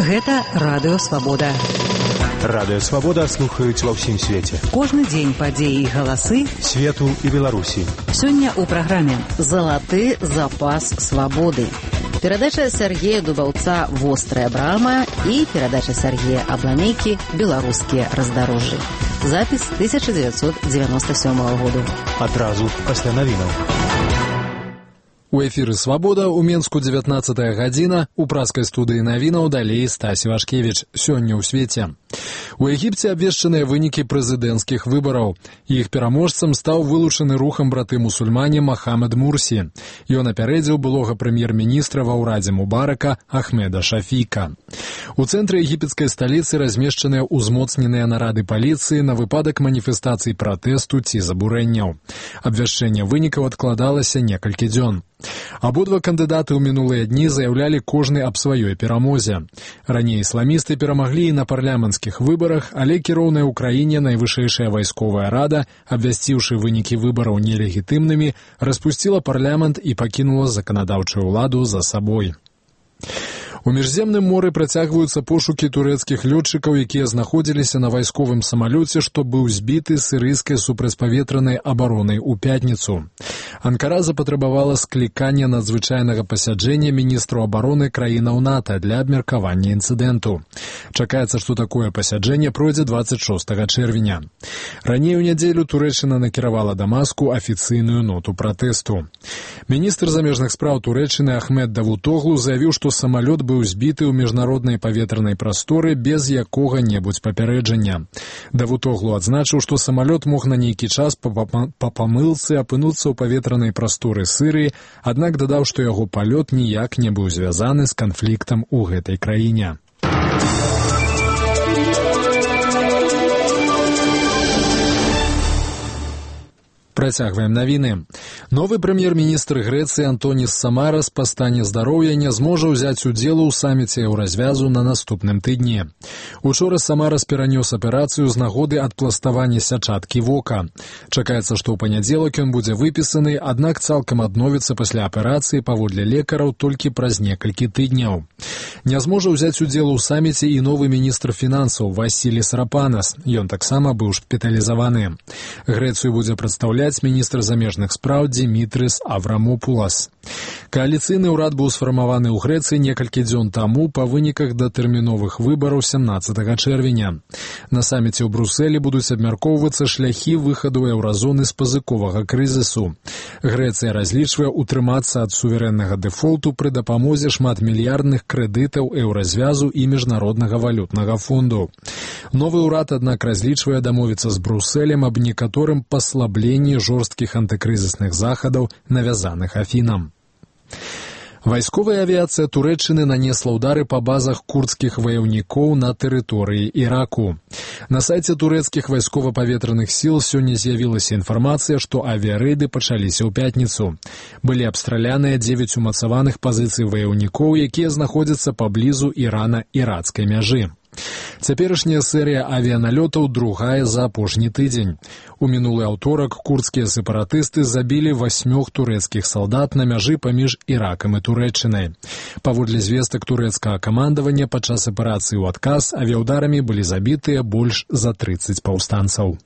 Гэта Радыё Свабода. Радыё Свабода слухаюць ва ўсім свеце. Кожны дзень падзеі і галасы свету і Беларусі. Сёння ў праграме «Залаты запас свабоды». Перадача Сергея Дубаўца «Вострая брама» і перадача Сергея Абламейкі «Беларускія раздарожжы». Запіс 1997 году. Адразу пасля навінаў. У эфіры «Свабода» у Менску 19-я гадзіна, у праскай студыі навінаў далей Стасі Вашкевіч. Сёння ў свеце. У Егіпце абвешчаныя вынікі прэзідэнцкіх выбараў. Іх пераможцам стаў вылучаны рухам браты-мусульмане Махамед Мурсі. Ён апярэдзіў былога прэм'ер-міністра ва ўрадзе Мубарака Ахмеда Шафіка. У цэнтры егіпецкай сталіцы размешчаныя ўзмоцненыя нарады паліцыі на выпадак маніфестацый пратэсту ці забурэнняў. Абвяшчэнне вынікаў адкладалася некалькі дзён. Абодва кандыдаты ў минулыя дні заяўлялі кожны аб сваёй перамозе. Раней ісламісты перамаглі і на парламенцкіх выбарах, але кіроўная ў краіне найвышэйшая вайсковая рада, абвясціўшы вынікі выбараў нелегітымнымі, распусціла парламент і пакінула заканадаўчую ўладу за сабой. У міжземным моры працягваюцца пошукі турэцкіх лётчыкаў, якія знаходзіліся на вайсковым самалёце, што быў збіты сірыйскай супрацьпаветранай абаронай у пятніцу. Анкара запатрабавала склікання надзвычайнага пасяджэння міністру абароны краінаў НАТО для абмеркавання інцыдэнту. Чакаецца, што такое пасяджэнне пройдзе 26 чэрвеня. Раней у нядзелю Турэччына накіравала Дамаску афіцыйную ноту пратэсту. Міністр замежных спраў Турэччыны Ахмед Давутоглу заявіў, што самалёт быў збіты ў міжнароднай паветранай прасторы без якога-небудзь папярэджання. Давутоглу адзначыў, што самалёт мог на нейкі час па памылцы апынуцца ў паветранай прасторы Сырыі, аднак дадаў, што яго палёт ніяк не быў звязаны з канфліктам у гэтай краіне. Працягваем навіны. Новы прэм'ер-міністр Грэцыі Антоніс Самарас па стане здароўя не зможа ўзяць удзелу ў саміце еўразвязу на наступным тыдні. Учора Самарас перанёс аперацыю з нагоды адпластавання сячаткі вока. Чакаецца, што ў панядзелак ён будзе выпісаны, аднак цалкам адновіцца пасля аперацыі паводле лекараў толькі праз некалькі тыдняў. Не зможа ўзяць удзел у саміце і новы міністр фінансаў Васіліс Рапанас. Ён таксама быў шпіталізаваны. Грэцыю будзе прадстаўляць міністр замежных спраў Димітрис Аврамопулас. Кааліцыйны ўрад быў сфармаваны ў Грэцыі некалькі дзён таму па выніках датэрміновых выбараў 17 чэрвеня. На саміце ў Брусэлі будуць абмяркоўвацца шляхі выхаду еўразоны з пазыковага крызісу. Грэцыя разлічвае утрымацца ад суверэннага дэфолту пры дапамозе шматмільярдных крэдытаў еўразвязу і міжнароднага валютнага фонду. Новы ўрад, аднак, разлічвае дамовіцца з Брусэлем аб некаторым паслабленні жорсткіх антыкрызісных захадаў, навязаных Афінам. Вайсковая авіяцыя Турэччыны нанесла ўдары па базах курдскіх ваяўнікоў на тэрыторыі Іраку. На сайце турэцкіх вайскова-паветраных сіл сёння з'явілася інфармацыя, што авіярэйды пачаліся ў пятніцу. Былі абстраляныя 9 умацаваных пазіцый ваяўнікоў, якія знаходзяцца паблізу Ірана-ірацкай мяжы. Цяперашняя серыя авіяналётаў другая за апошні тыдзень. У мінулы аўторак курдскія сепаратысты забілі 8 турэцкіх салдат на мяжы паміж Іракам і Турэччынай. Паводле звестак турэцкага камандавання, падчас аперацыі ў адказ авіяўдарамі былі забітыя больш за 30 паўстанцаў.